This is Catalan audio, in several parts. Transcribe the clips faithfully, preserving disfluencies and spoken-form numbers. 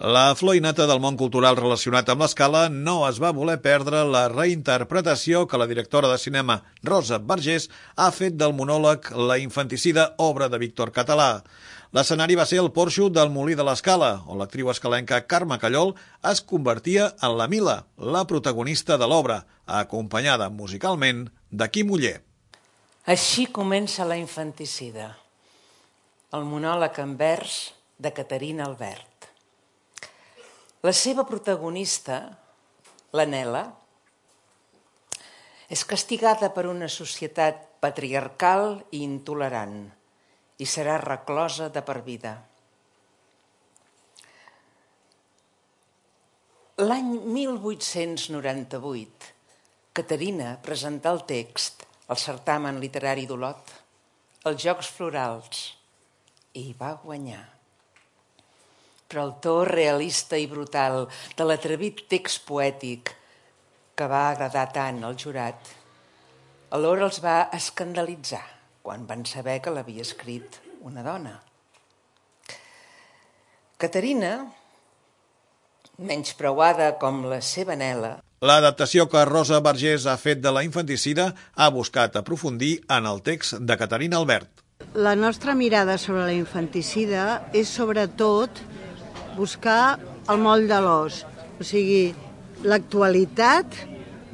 La flor i nata del món cultural relacionat amb l'Escala no es va voler perdre la reinterpretació que la directora de cinema Rosa Vergés ha fet del monòleg La infanticida, obra de Víctor Català. L'escenari va ser el porxo del Molí de l'Escala, on l'actriu escalenca Carme Callol es convertia en la Mila, la protagonista de l'obra, acompanyada musicalment de Quim Oller. Així comença La infanticida, el monòleg en vers de Caterina Albert. La seva protagonista, la Nela, és castigada per una societat patriarcal i intolerant i serà reclosa de per vida. L'any mil vuit-cents noranta-vuit, Caterina presentà el text al certamen literari d'Olot, als Jocs Florals, i va guanyar. Però el to realista i brutal de l'atrevit text poètic que va agradar tant al jurat, alhora els va escandalitzar quan van saber que l'havia escrit una dona. Caterina, menyspreuada com la seva Nela, l'adaptació que Rosa Vergés ha fet de La infanticida ha buscat aprofundir en el text de Caterina Albert. La nostra mirada sobre la infanticida és sobretot buscar el moll de l'os, o sigui, l'actualitat,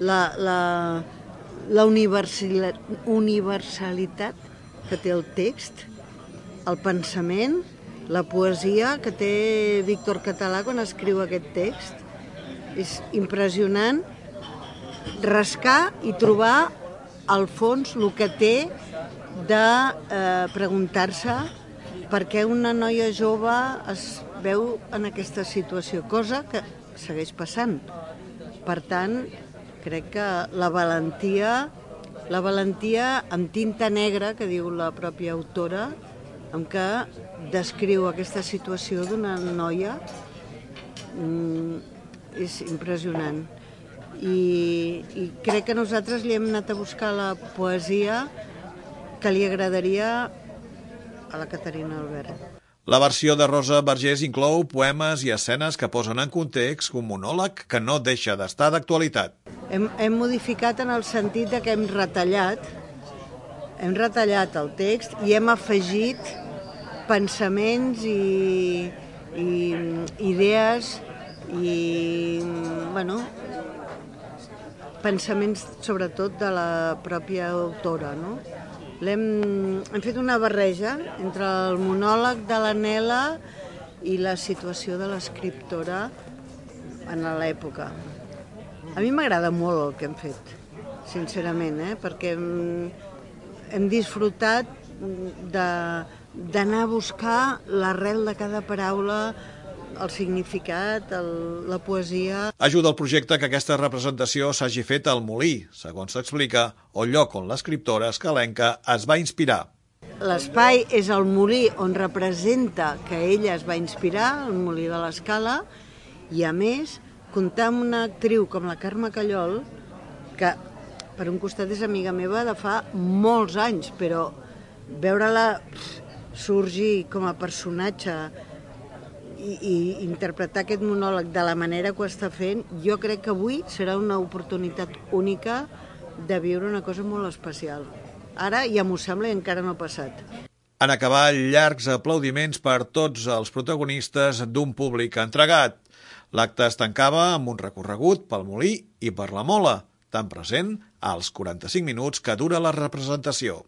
la, la, la universalitat que té el text, el pensament, la poesia que té Víctor Català quan escriu aquest text. És impressionant rascar i trobar al fons el que té de eh, preguntar-se per què una noia jove es veu en aquesta situació, cosa que segueix passant. Per tant, crec que la valentia, la valentia amb tinta negra, que diu la pròpia autora, amb què descriu aquesta situació d'una noia, és impressionant. I, i crec que nosaltres li hem anat a buscar la poesia que li agradaria a la Caterina Albert. La versió de Rosa Vergés inclou poemes i escenes que posen en context un monòleg que no deixa d'estar d'actualitat. Hem, hem modificat en el sentit de que hem retallat, hem retallat el text i hem afegit pensaments i, i idees i, bueno, pensaments sobretot de la pròpia autora, no? Hem, hem fet una barreja entre el monòleg de la Nela i la situació de l'escriptora en l'època. A mi m'agrada molt el que hem fet, sincerament, eh? Perquè hem, hem disfrutat d'anar a buscar l'arrel de cada paraula, el significat, el, la poesia. Ajuda al projecte que aquesta representació s'hagi fet al Molí, segons s'explica, el lloc on l'escriptora escalenca es va inspirar. L'espai és el Molí on representa que ella es va inspirar, el Molí de l'Escala, i a més, comptar amb una actriu com la Carme Callol, que per un costat és amiga meva de fa molts anys, però veure-la sorgir com a personatge I, i interpretar aquest monòleg de la manera que ho està fent, jo crec que avui serà una oportunitat única de viure una cosa molt especial. Ara ja m'ho sembla i encara no ha passat. En acabar, llargs aplaudiments per tots els protagonistes d'un públic entregat. L'acte es tancava amb un recorregut pel Molí i per la Mola, tan present als quaranta-cinc minuts que dura la representació.